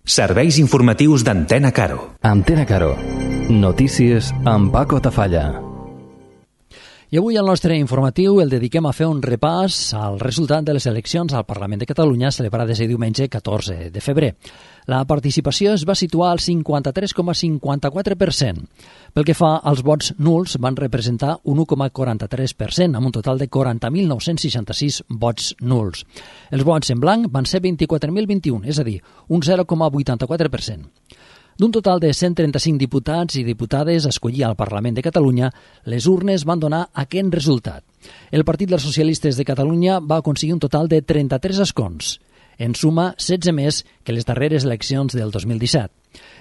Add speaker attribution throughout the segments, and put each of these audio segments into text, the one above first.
Speaker 1: Serveis informatius d'Antena Caro.
Speaker 2: Antena Caro. Notícies amb Paco Tafalla.
Speaker 3: I avui al nostre informatiu el dediquem a fer un repàs al resultat de les eleccions al Parlament de Catalunya celebrades el diumenge 14 de febrer. La participació es va situar al 53,54%. Pel que fa als vots nuls, van representar un 1,43%, amb un total de 40.966 vots nuls. Els vots en blanc van ser 24.021, és a dir, un 0,84%. D'un total de 135 diputats i diputades a escollir al Parlament de Catalunya, les urnes van donar aquest resultat. El Partit dels Socialistes de Catalunya va aconseguir un total de 33 escons. En suma, 16 més que les darreres eleccions del 2017.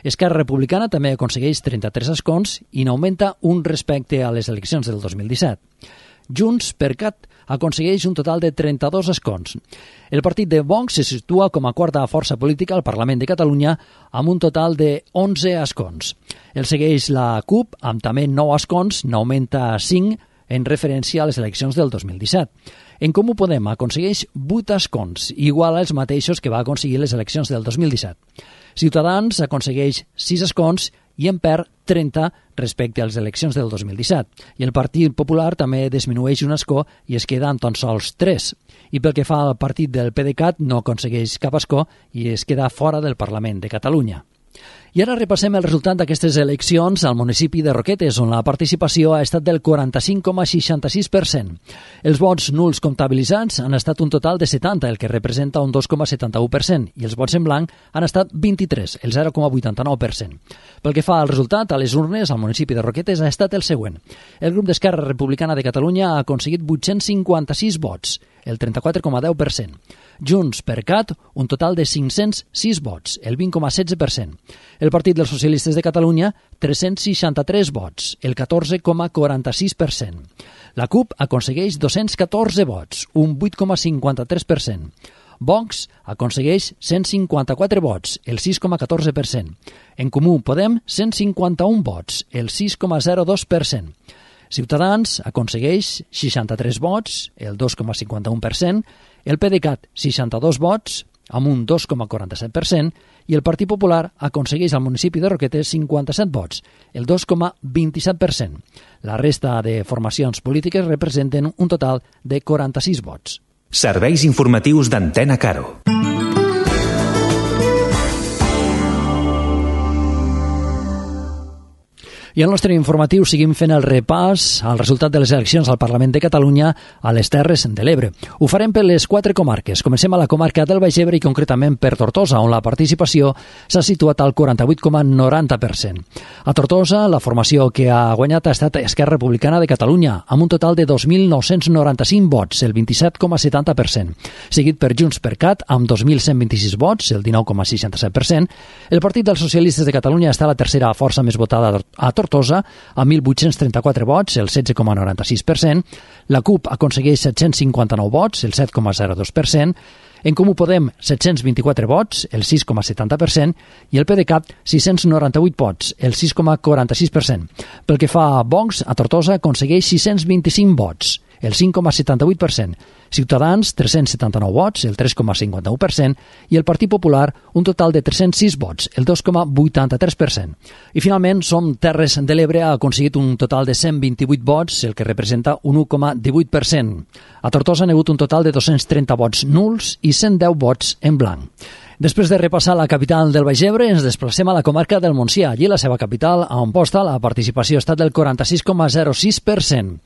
Speaker 3: Esquerra Republicana també aconsegueix 33 escons i n'augmenta un respecte a les eleccions del 2017. JxCat aconsegueix un total de 32 escons. El partit de Vox se situa com a quarta força política al Parlament de Catalunya amb un total de 11 escons. El segueix la CUP amb també 9 escons, n'augmenta 5 en referència a les eleccions del 2017. En Comú Podem aconsegueix 8 escons, igual als mateixos que va aconseguir les eleccions del 2017. Ciutadans aconsegueix 6 escons i en perd 30 respecte a les eleccions del 2017. I el Partit Popular també disminueix un escó i es queda amb tan sols 3. I pel que fa al partit del PDeCAT no aconsegueix cap escó i es queda fora del Parlament de Catalunya. I ara repassem el resultat d'aquestes eleccions al municipi de Roquetes, on la participació ha estat del 45,66%. Els vots nuls comptabilitzats han estat un total de 70, el que representa un 2,71%, i els vots en blanc han estat 23, el 0,89%. Pel que fa al resultat, a les urnes, al municipi de Roquetes ha estat el següent. El grup d'Esquerra Republicana de Catalunya ha aconseguit 856 vots, el 34,10%. JxCat, un total de 506 vots, el 20,16%. El Partit dels Socialistes de Catalunya, 363 vots, el 14,46%. La CUP aconsegueix 214 vots, un 8,53%. Vox aconsegueix 154 vots, el 6,14%. En Comú Podem, 151 vots, el 6,02%. Ciutadans aconsegueix 63 vots, el 2,51%, el PDeCAT 62 vots, amb un 2,47%, i el Partit Popular aconsegueix al municipi de Roquetes 57 vots, el 2,27%. La resta de formacions polítiques representen un total de 46 vots.
Speaker 1: Serveis informatius d'Antena Caro.
Speaker 3: I al nostre informatiu seguim fent el repàs al resultat de les eleccions al Parlament de Catalunya a les Terres de l'Ebre. Ho farem per les 4 comarques. Comencem a la comarca del Baix Ebre i concretament per Tortosa, on la participació s'ha situat al 48,90%. A Tortosa, la formació que ha guanyat ha estat Esquerra Republicana de Catalunya, amb un total de 2.995 vots, el 27,70%. Seguit per JxCat, amb 2.126 vots, el 19,67%. El Partit dels Socialistes de Catalunya està a la tercera força més votada a Tortosa, amb 1.834 vots, el 16,96%. La CUP aconsegueix 759 vots, el 7,02%. En Comú Podem, 724 vots, el 6,70%, i el PDeCAT, 698 vots, el 6,46%. Pel que fa a Vox, a Tortosa aconsegueix 625 vots, el 5,78%. Ciutadans, 379 vots, el 3,51%, i el Partit Popular, un total de 306 vots, el 2,83%. I finalment, Som Terres de l'Ebre ha aconseguit un total de 128 vots, el que representa un 1,18%. A Tortosa han hagut un total de 230 vots nuls i 110 vots en blanc. Després de repassar la capital del Baix Ebre, ens desplacem a la comarca del Montsià. Allí, la seva capital, a Amposta, la participació ha estat del 46,06%.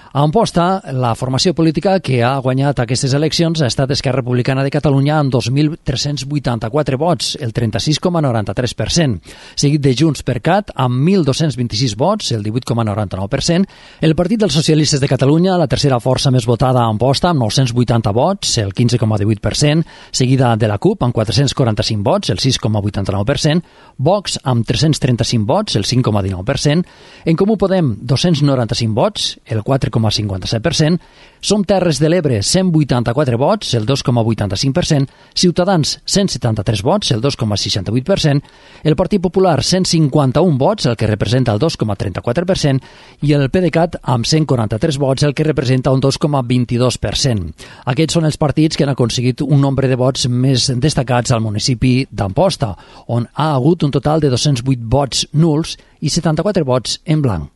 Speaker 3: A Amposta, la formació política que ha guanyat aquestes eleccions ha estat Esquerra Republicana de Catalunya amb 2.384 vots, el 36,93%. Seguit de JxCat amb 1.226 vots, el 18,99%. El Partit dels Socialistes de Catalunya, la tercera força més votada a Amposta, amb 980 vots, el 15,18%. Seguida de la CUP amb 445 vots, el 6,89%. Vox amb 335 vots, el 5,19%. En Comú Podem, 295 vots, el 4, 4,57%, Som Terres de l'Ebre, 184 vots, el 2,85%, Ciutadans, 173 vots, el 2,68%, el Partit Popular, 151 vots, el que representa el 2,34%, i el PDeCAT, amb 143 vots, el que representa un 2,22%. Aquests són els partits que han aconseguit un nombre de vots més destacats al municipi d'Amposta, on ha hagut un total de 208 vots nuls i 74 vots en blanc.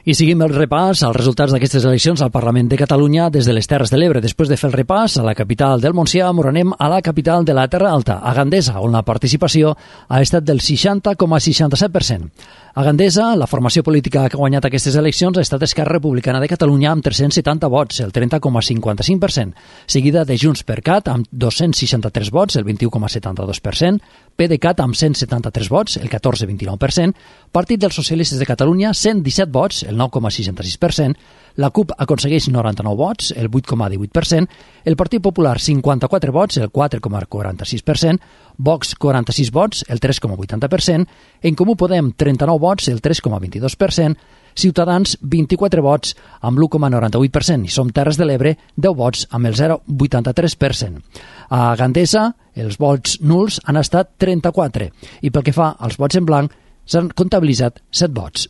Speaker 3: I seguim el repàs als resultats d'aquestes eleccions al Parlament de Catalunya des de les Terres de l'Ebre. Després de fer el repàs a la capital del Montsià, anem a la capital de la Terra Alta, a Gandesa, on la participació ha estat del 60,67%. A Gandesa, la formació política que ha guanyat aquestes eleccions ha estat Esquerra Republicana de Catalunya amb 370 vots, el 30,55%, seguida de Junts per Cat amb 263 vots, el 21,72%, PDeCAT amb 173 vots, el 14,29%, Partit dels Socialistes de Catalunya 117 vots, el 9,66%, la CUP aconsegueix 99 vots, el 8,18%, el Partit Popular 54 vots, el 4,46%, Vox 46 vots, el 3,80%, En Comú Podem 39 vots, el 3,22%, Ciutadans 24 vots amb l'1,98% i Som Terres de l'Ebre 10 vots amb el 0,83%. A Gandesa els vots nuls han estat 34 i pel que fa als vots en blanc s'han comptabilitzat 7 vots.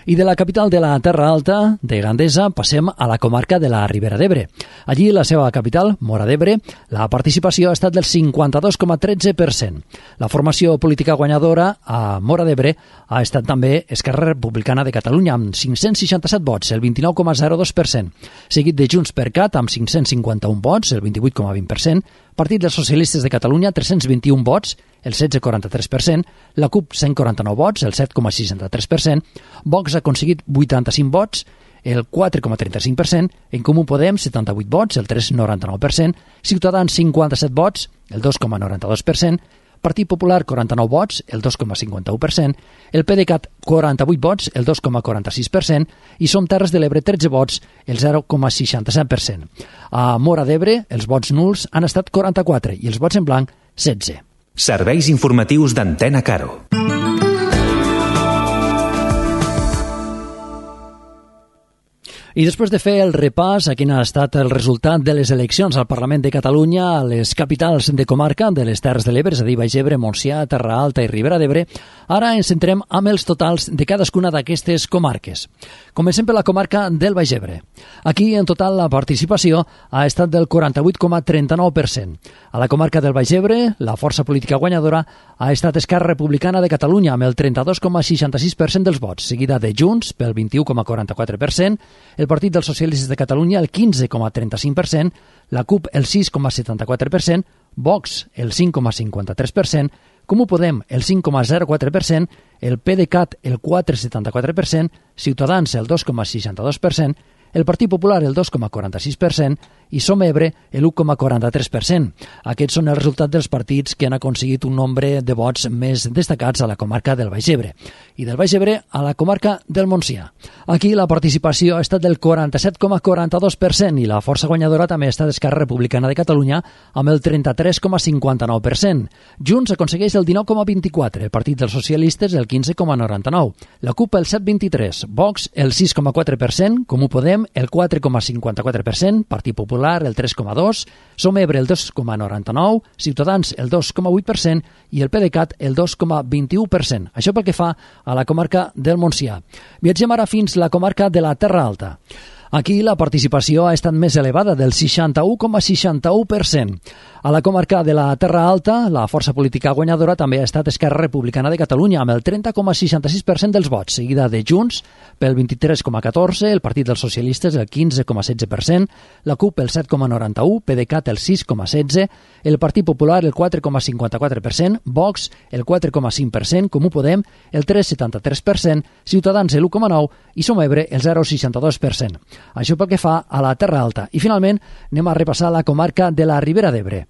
Speaker 3: I de la capital de la Terra Alta, de Gandesa, passem a la comarca de la Ribera d'Ebre. Allí, la seva capital, Móra d'Ebre, la participació ha estat del 52,13%. La formació política guanyadora a Móra d'Ebre ha estat també Esquerra Republicana de Catalunya, amb 567 vots, el 29,02%, seguit de Junts per Cat, amb 551 vots, el 28,20%, Partit dels Socialistes de Catalunya, 321 vots, el 16,43%, la CUP, 149 vots, el 7,63%, Vox ha aconseguit 85 vots, el 4,35%, En Comú Podem, 78 vots, el 3,99%, Ciutadans, 57 vots, el 2,92%, Partit Popular, 49 vots, el 2,51%, el PDeCAT, 48 vots, el 2,46%, i Som Terres de l'Ebre, 13 vots, el 0,67%. A Móra d'Ebre, els vots nuls han estat 44 i els vots en blanc, 16.
Speaker 1: Serveis informatius d'Antena Caro.
Speaker 3: I després de fer el repàs a quin ha estat el resultat de les eleccions al Parlament de Catalunya a les capitals de comarca de les Terres de l'Ebre, és a dir, Baix Ebre, Montsià, Terra Alta i Ribera d'Ebre, ara ens centrem amb els totals de cadascuna d'aquestes comarques. Comencem per la comarca del Baix Ebre. Aquí, en total, la participació ha estat del 48,39%. A la comarca del Baix Ebre, la força política guanyadora ha estat Esquerra Republicana de Catalunya amb el 32,66% dels vots, seguida de Junts pel 21,44%, el Partit dels Socialistes de Catalunya el 15,35%, la CUP el 6,74%, Vox el 5,53%, Comú Podem el 5,04%, el PDeCAT el 4,74%, Ciutadans el 2,62%, el Partit Popular el 2,46% i Som Ebre el 1,43%. Aquests són els resultats dels partits que han aconseguit un nombre de vots més destacats a la comarca del Baix Ebre. I del Baix Ebre a la comarca del Montsià. Aquí la participació ha estat del 47,42% i la força guanyadora també ha estat Esquerra Republicana de Catalunya amb el 33,59%. Junts aconsegueix el 19,24%, el Partit dels Socialistes el 15,99%, la CUP el 7,23%, Vox el 6,4%, Comú Podem el 4,54%, Partit Popular el 3,2%, Som Ebre el 2,99%, Ciutadans el 2,8% i el PDeCAT el 2,21%. Això pel que fa a la comarca del Montsià. Viatgem ara fins a la comarca de la Terra Alta. Aquí la participació ha estat més elevada, del 61,61%. A la comarca de la Terra Alta, la força política guanyadora també ha estat Esquerra Republicana de Catalunya, amb el 30,66% dels vots, seguida de Junts pel 23,14%, el Partit dels Socialistes el 15,16%, la CUP el 7,91%, PDeCAT el 6,16%, el Partit Popular el 4,54%, Vox el 4,5%, Comú Podem el 3,73%, Ciutadans el 1,9% i Som Ebre el 0,62%. Això pel que fa a la Terra Alta. I finalment anem a repassar la comarca de la Ribera d'Ebre.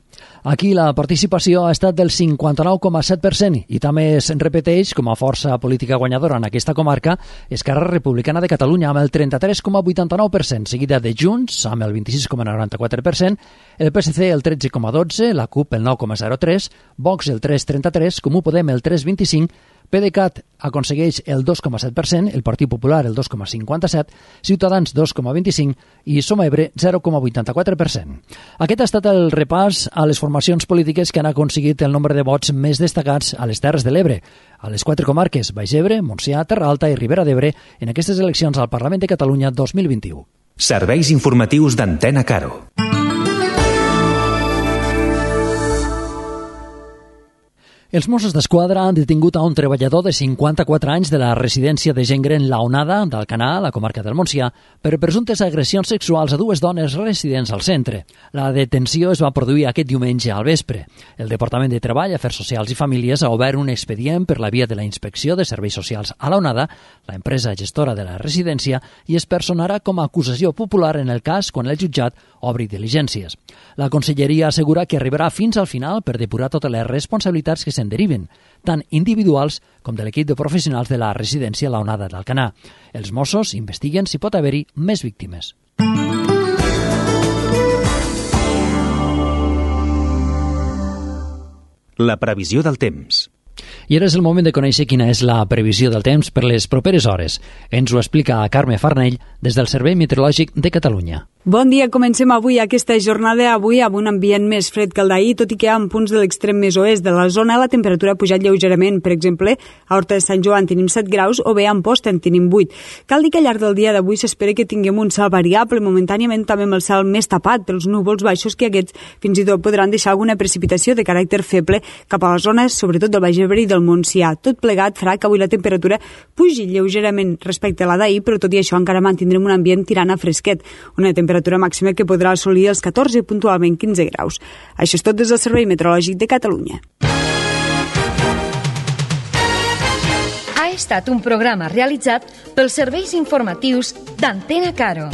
Speaker 3: Aquí la participació ha estat del 59,7% i també es repeteix com a força política guanyadora en aquesta comarca Esquerra Republicana de Catalunya amb el 33,89%, seguida de Junts amb el 26,94%, el PSC el 13,12%, la CUP el 9,03%, Vox el 3,33%, Comú Podem el 3,25%, PDeCAT aconsegueix el 2,7%, el Partit Popular el 2,57%, Ciutadans 2,25% i Som Ebre 0,84%. Aquest ha estat el repàs a les formacions polítiques que han aconseguit el nombre de vots més destacats a les Terres de l'Ebre, a les 4 comarques, Baix Ebre, Montsià, Terra Alta i Ribera d'Ebre, en aquestes eleccions al Parlament de Catalunya 2021.
Speaker 1: Serveis informatius d'Antena Caro.
Speaker 3: Els Mossos d'Esquadra han detingut a un treballador de 54 anys de la residència de gent gran La Onada, d'Alcanar, a la comarca del Montsià, per presumptes agressions sexuals a 2 dones residents al centre. La detenció es va produir aquest diumenge al vespre. El Departament de Treball, Afers Socials i Famílies ha obert un expedient per la via de la Inspecció de Serveis Socials a La Onada, la empresa gestora de la residència, i es personarà com a acusació popular en el cas quan el jutjat obri diligències. La Conselleria assegura que arribarà fins al final per depurar totes les responsabilitats que se'n deriven, tant individuals com de l'equip de professionals de la residència La Onada d'Alcanar. Els Mossos investiguen si pot haver-hi més víctimes.
Speaker 1: La previsió del temps.
Speaker 3: I ara és el moment de conèixer quina és la previsió del temps per les properes hores. Ens ho explica Carme Farnell des del Servei Meteorològic de Catalunya.
Speaker 4: Bon dia, comencem avui aquesta jornada amb un ambient més fred que el d'ahir, tot i que en punts de l'extrem més oest de la zona la temperatura ha pujat lleugerament. Per exemple, a Horta de Sant Joan tenim 7 graus o bé a Amposta en tenim 8. Cal dir que al llarg del dia d'avui s'espera que tinguem un cel variable, momentàniament també amb el cel més tapat pels núvols baixos, que aquests fins i tot podran deixar alguna precipitació de caràcter feble cap a les zones, sobretot del Baix Ebre i del Montsià. Tot plegat farà que avui la temperatura pugi lleugerament respecte a la d'ahir, però tot i això encara mantindrem un ambient tirant a fresquet, una temperatura màxima que podrà assolir els 14 i puntualment 15 graus. Això és tot des del Servei Meteorològic de Catalunya.
Speaker 5: Ha estat un programa realitzat pels serveis informatius d'Antena Caro.